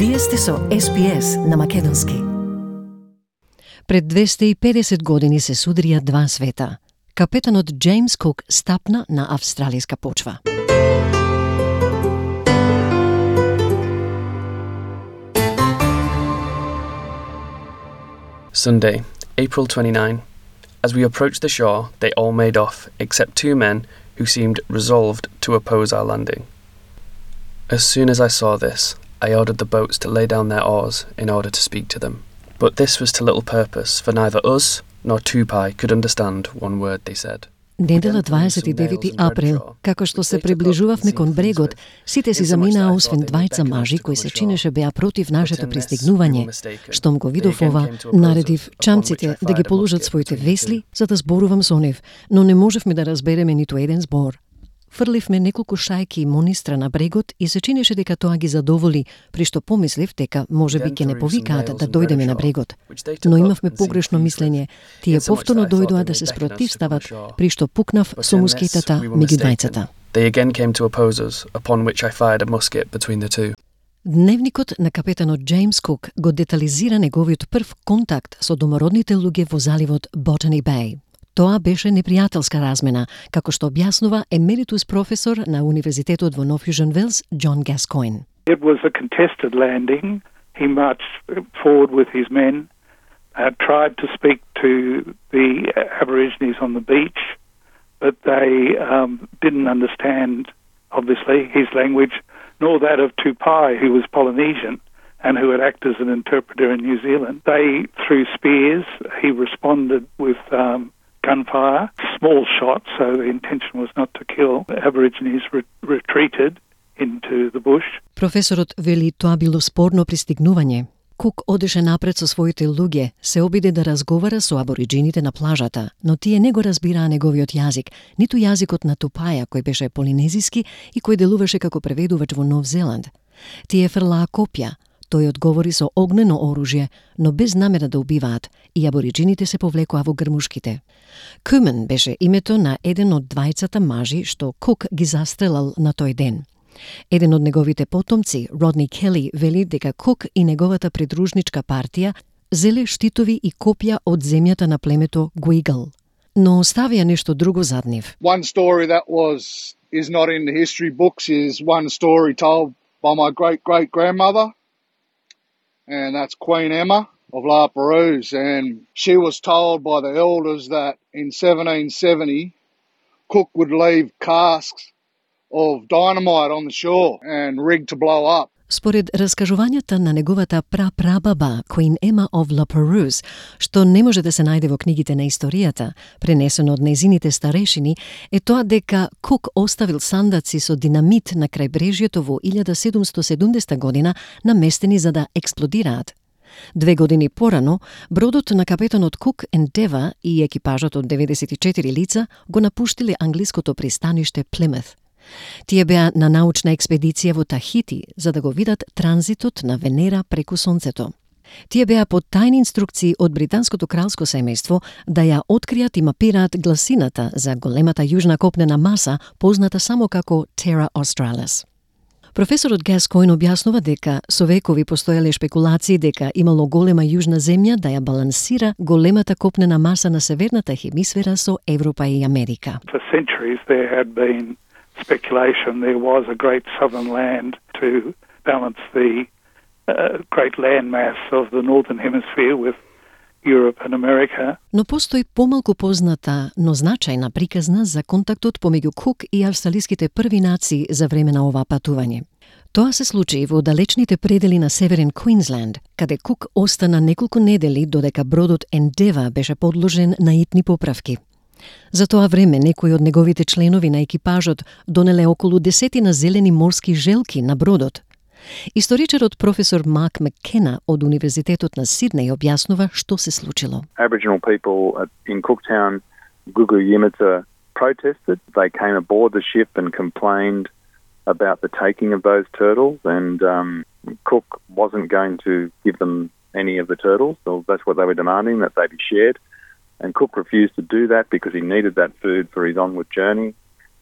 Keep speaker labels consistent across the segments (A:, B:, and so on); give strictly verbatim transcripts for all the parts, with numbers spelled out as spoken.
A: Вие сте со Ес Би Ес на македонски.
B: Пред двесте и педесет години се судрија два света. Капетанот Джеймс Кук стапна на австралиска почва.
C: Sunday, April twenty-ninth. As we approached the shore, they all made off, except two men who seemed resolved to oppose our landing. As soon as I saw this, I ordered the boats to lay down their oars in order to speak to them. But this was to little purpose, for neither us nor Tupai could understand one word they said.
B: Недела дваесет и девети април, како што се приближувавме кон брегот, сите си заминаа освен двајца мажи кои се чинеше беа против нашето пристигнување. Штом го видов ова, наредив чамците да ги положат своите весли за да зборувам со нив, но не можевме да разбереме ниту еден збор. Фрливме неколку шајки монистра на брегот и се чинеше дека тоа ги задоволи, при што помислив дека можеби ќе не повикаат да дојдеме на брегот. Но имавме погрешно мислење. Тие повторно дојдоа да се спротивстават, при што пукнав со мускетата меѓу двајцата.
C: They again came to oppose us, upon which I fired a musket between the two.
B: Дневникот на капетанот Джеймс Кук го детализира неговиот прв контакт со домородните луѓе во заливот Botany Bay. Тоа беше непријателска размена, како што објаснува емеритус професор на Универзитетот во Нов Јужен Велс, Џон Гаскоин.
D: It was a contested landing. He marched forward with his men, uh, tried to speak to the Aborigines on the beach, but they um, didn't understand, obviously, his language, nor that of Tupai, who was Polynesian and who had acted as an interpreter in New Zealand. They threw spears. He responded with um, gunfire, small shots, so the intention was not to kill. The Aborigines re- retreated into the bush.
B: Професорот вели тоа било спорно пристигнување. Кук одеше напред со своите луѓе, се обиде да разговара со абориджините на плажата, но тие не го разбираа неговиот јазик, ниту јазикот на Тупаја, кој беше полинезиски и кој делуваше како преведувач во Нов Зеланд. Тие фрлаа копја. Тој одговори со огнено оружје, но без намера да убиваат, и абориджините се повлекоа во грмушките. Кумен беше името на еден од двајцата мажи што Кук ги застрелал на тој ден. Еден од неговите потомци, Родни Кели, вели дека Кук и неговата придружничка партија зеле штитови и копја од земјата на племето Гуигл. Но оставија нешто друго зад нив.
E: One story that was is not in the history books is one story told by my great-great-grandmother, and that's Queen Emma of La Perouse, and she was told by the elders that in seventeen seventy, Cook would leave casks of dynamite on the shore and rig to blow up.
B: Според раскажувањата на неговата прапрабаба, Queen Emma of La Perouse, што не може да се најде во книгите на историјата, пренесено од незините старешини, е тоа дека Кук оставил сандаци со динамит на крајбрежјето во илјада седумстотини и седумдесета година наместени за да експлодираат. Две години порано, бродот на капетанот Кук Ендева и екипажот од деветдесет и четири лица го напуштиле англиското пристаниште Плимут. Тие беа на научна експедиција во Тахити за да го видат транзитот на Венера преку Сонцето. Тие беа под тајни инструкции од британското кралско семејство да ја откријат и мапираат гласината за големата јужна копнена маса, позната само како Terra Australis. Професорот Гаскоин објаснува дека со векови постоеле шпекулации дека имало голема јужна земја да ја балансира големата копнена маса на северната хемисфера со Европа и Америка.
D: For centuries there had been speculation there was a great southern land to balance the uh, great landmass of the northern hemisphere with Europe and America.
B: Но постои помалку позната, но значајна приказна за контактот помеѓу Кук и австралиските први нации за време на ова патување. Тоа се случи во далечните предели на Северен Квинсленд, каде Кук остана неколку недели додека бродот Ендева беше подложен на итни поправки. За тоа време некои од неговите членови на екипажот донеле околу десетина зелени морски желки на бродот. Историчарот професор Марк Маккена од Универзитетот на Сиднеј објаснува што се случило.
F: Aboriginal people in Cooktown, Gugu Yimita, protested. They came aboard the ship and complained about the taking of those turtles, and um, Cook wasn't going to give them any of the turtles, so that's what they were demanding, that they be shared. And Cook refused to do that because he needed that food for his onward journey.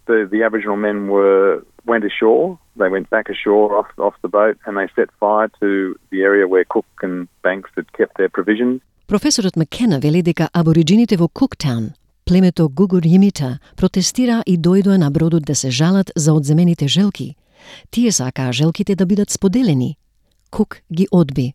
F: The, the Aboriginal men were went ashore. They went back ashore off, off the boat and they set fire to the area where Cook and Banks had kept their provisions.
B: Професорот Маккена вели дека абориджините во Куктаун, племето Гугур-Јимита, протестира и дојдоа на бродот да се жалат за одземените желки. Тие сакаа желките да бидат споделени. Кук ги одби.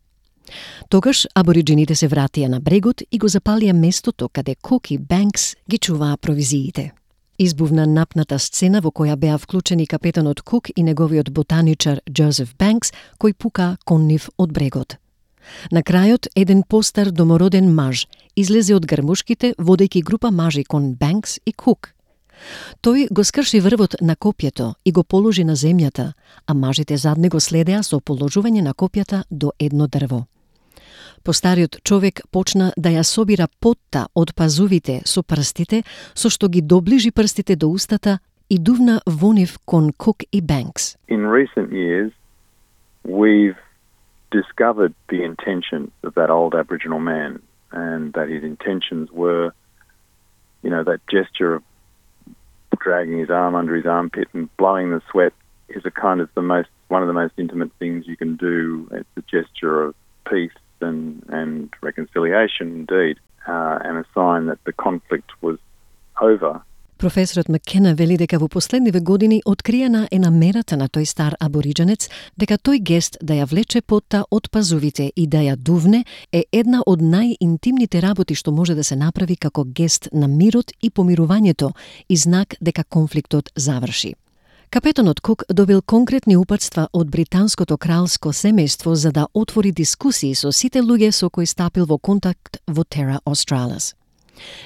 B: Тогаш абориджините се вратија на брегот и го запалија местото каде Кук и Банкс ги чуваа провизиите. Избувна напната сцена во која беа вклучени капетанот Кук и неговиот ботаничар Джозеф Банкс, кој пука кон нив од брегот. На крајот, еден постар домороден маж излезе од грмушките, водејќи група мажи кон Банкс и Кук. Тој го скрши врвот на копјето и го положи на земјата, а мажите зад него следеа со положување на копјата до едно дрво. Постариот човек почна да ја собира потта од пазувите со прстите, со што ги доближи прстите до устата и дувна во нив кон Кук и Банкс.
F: In recent years, we've discovered the intentions of that old Aboriginal man, and that his intentions were, you know, that gesture of dragging his arm under his armpit and blowing the sweat is a kind of the most, one of the most intimate things you can do. It's a gesture of peace and, and reconciliation indeed, uh, and a sign that the conflict was over.
B: Професорот Маккена вели дека во последниве години откриена е намерата на тој стар абориджанец дека тој гест да ја влече потта од пазувите и да ја дувне е една од најинтимните работи што може да се направи како гест на мирот и помирувањето и знак дека конфликтот заврши. Капетанот Кук добил конкретни упатства од британското кралско семејство за да отвори дискусии со сите луѓе со кои стапил во контакт во Terra Australis.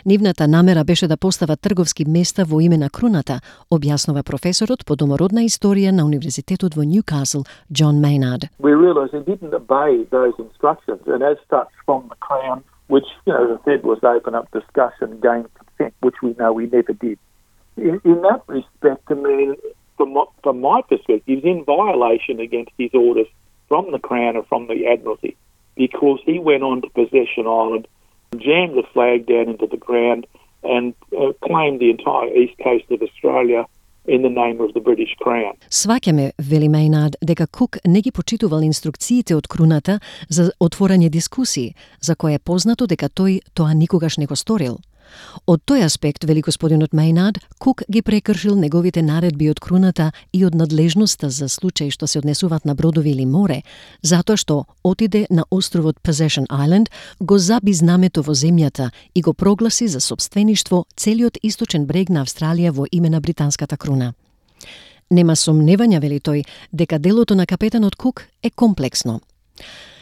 B: Нивната намера беше да постава трговски места во име на круната, објаснува професорот по домородна историја на Универзитетот во Ньюкасл, John Maynard.
G: We realised they didn't obey those instructions, and as such from the Crown, which, you know, as I said, was open up discussion, gain consent, which we know we never did. In, in that respect, I mean, from, what, from my perspective, he's in violation against his orders from the Crown and from the Admiralty, because he went on to Possession Island, jammed the flag down into the ground and uh, claimed the entire east coast of Australia in the name of the British Crown.
B: Сваќаме, вели Мейнард, дека Кук не ги почитувал инструкциите од круната за отворање дискусии, за која е познато дека тој тоа никогаш не го сторил. Од тој аспект, вели господинот Мейнард, Кук ги прекршил неговите наредби од круната и од надлежноста за случаи што се однесуваат на бродови или море, затоа што отиде на островот Possession Island, го заби знамето во земјата и го прогласи за сопствеништво целиот источен брег на Австралија во име на британската круна. Нема сомневања, вели тој, дека делото на капетанот Кук е комплексно.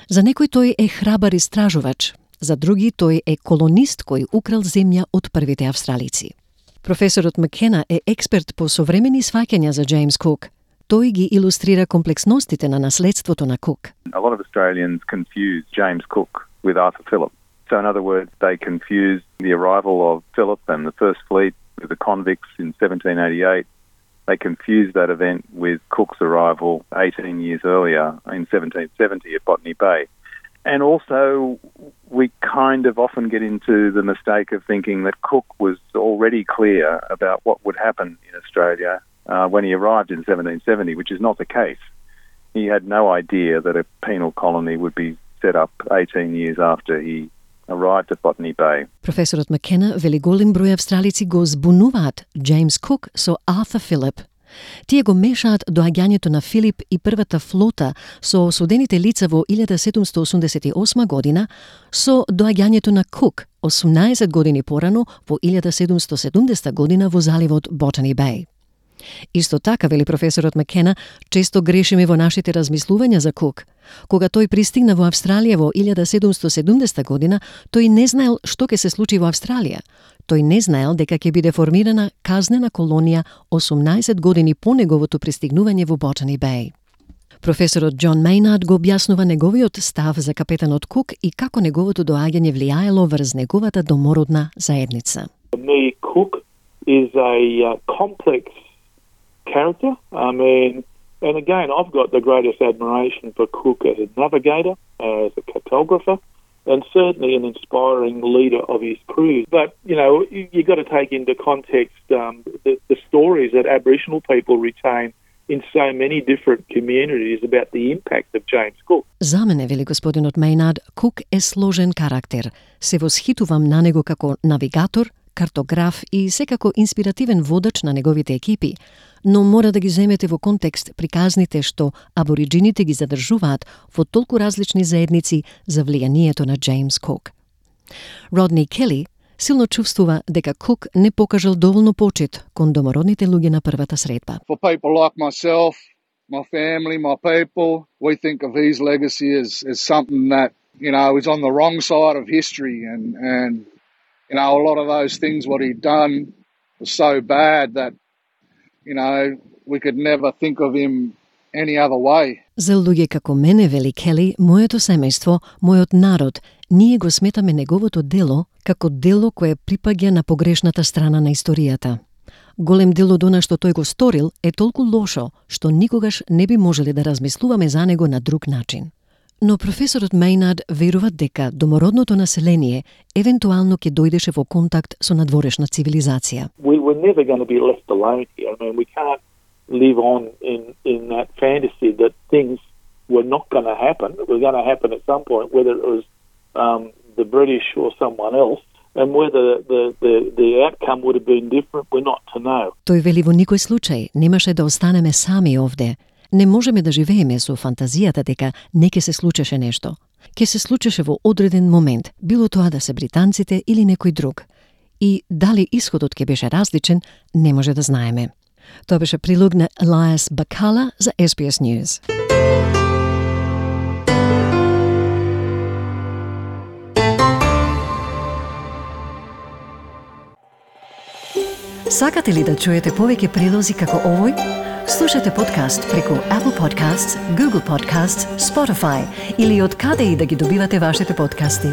B: За некој тој е храбар истражувач, за други тој е колонист кој украл земја од првите австралици. Професорот Маккена е експерт по современи сваќања за Джеймс Кук. Тој ги илустрира комплексностите на наследството на Кук.
F: A lot of Australians confuse James Cook with Arthur Phillip. So in other words, they confuse the arrival of Phillip and the First Fleet with the convicts in seventeen eighty-eight. They confuse that event with Cook's arrival eighteen years earlier in seventeen seventy at Botany Bay. And also, we kind of often get into the mistake of thinking that Cook was already clear about what would happen in Australia uh, when he arrived in seventeen seventy, which is not the case. He had no idea that a penal colony would be set up eighteen years after he arrived at Botany Bay.
B: Професорот Маккена вели голем број австралици го збунуваат Джеймс Кук со Арthur Phillip. Тие го мешаат доаѓањето на Филип и првата флота со осудените лица во илјада седумстотини осумдесет и осма година со доаѓањето на Кук осумнаесет години порано во илјада седумстотини седумдесета година во заливот Ботани Беј. Исто така, вели професорот Маккена, често грешиме во нашите размислувања за Кук. Кога тој пристигна во Австралија во илјада седумстотини седумдесета година, тој не знаел што ќе се случи во Австралија. Тој не знаел дека ќе биде формирана казнена колонија осумнаесет години по неговото пристигнување во Ботани Беј. Професорот Џон Мейнард го објаснува неговиот став за капетанот Кук и како неговото доаѓање влијаело врз неговата домородна заедница.
G: Me, Cook is a uh, complex character. I mean, and again, I've got the greatest admiration for Cook as a navigator, as a cartographer, and certainly an inspiring leader of his crew. But, you know, you, you've got to take into context um, the, the stories that Aboriginal people retain in so many different communities about the impact of James Cook.
B: За мене, вели господинот Мејнард, Кук е сложен карактер. Се восхитувам на него како навигатор, картограф и секако инспиративен водач на неговите екипи, но мора да ги земете во контекст приказните што абориджините ги задржуваат во толку различни заедници за влијанието на Джеймс Кук. Родни Кели силно чувствува дека Кук не покажал доволно почит кон домородните луѓе на првата средба.
E: For people like myself, my family, my people, we think of his legacy as, as something that, you know, is on the wrong side of history, and, and you know, a lot of those things what he'd done was so bad that, you know, we could never think of him any other way.
B: За луѓе како мене, вели Кели, моето семејство, мојот народ, ние го сметаме неговото дело како дело кое припаѓа на погрешната страна на историјата. Голем дел од она што тој го сторил е толку лошо, што никогаш не би можеле да размислуваме за него на друг начин. Но професорот Мејнард верува дека домородното население евентуално ќе дојдеше во контакт со надворешна цивилизација.
G: We were never going to be left alone here. I mean, we can't live on in, in that fantasy that things were not going to happen. It was going to happen at some point, whether it was um, the British or someone else, and whether the, the, the outcome would have been different, we're not to know.
B: Тој вели во никој случај немаше да останеме сами овде. Не можеме да живееме со фантазијата дека не ќе се случеше нешто. Ќе се случеше во одреден момент, било тоа да се британците или некој друг. И дали исходот ќе беше различен, не може да знаеме. Тоа беше прилог на Elias Bacala за Ес Би Ес News. Сакате ли да чуете повеќе прилози како овој? Слушате подкаст преку Apple Podcasts, Google Podcasts, Spotify или од каде и да ги добивате вашите подкасти.